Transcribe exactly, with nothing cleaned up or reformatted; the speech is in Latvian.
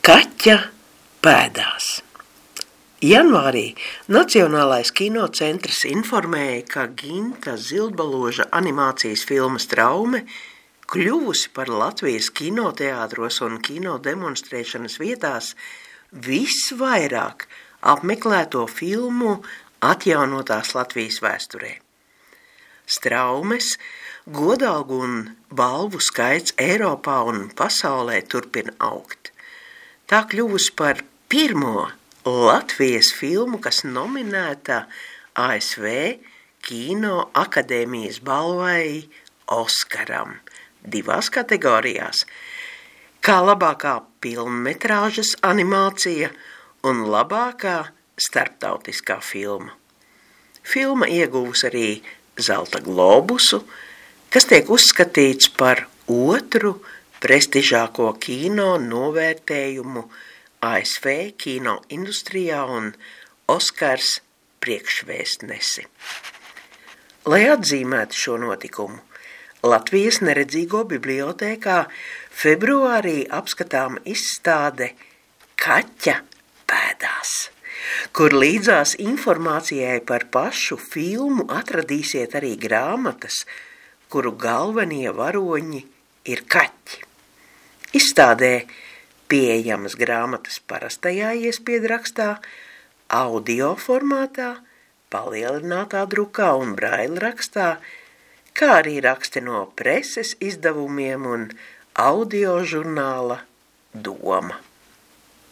Kaķa pēdās. Janvārī Nacionālais kinocentrs informēja, ka Ginta Zildbaloža animācijas filma Straume kļuvusi par Latvijas kinoteātros un kino demonstrēšanas vietās visvairāk apmeklēto filmu atjaunotās Latvijas vēsturē. Straumes godalgu un balvu skaits Eiropā un pasaulē turpina augt. Tā kļuvusi par pirmo Latvijas filmu, kas nominēta A S V Kino akadēmijas balvai Oskaram divās kategorijās, kā labākā pilnmetrāžas animācija un labākā starptautiskā filma. Filma ieguvusi arī Zelta globusu, kas tiek uzskatīts par otru prestižāko kino novērtējumu A S V kino industrijā un Oskars priekšvēstnesi. Lai atzīmētu šo notikumu, Latvijas neredzīgo bibliotēkā februārī apskatām izstāde Kaķa pēdās, kur līdzās informācijai par pašu filmu atradīsiet arī grāmatas, kuru galvenie varoņi ir kaķi. Izstādē pieejamas grāmatas parastajā iespiedu-rakstā, audio formātā, palielinātā drukā un braila rakstā, kā arī raksti no preses izdevumiem un audio žurnāla Doma.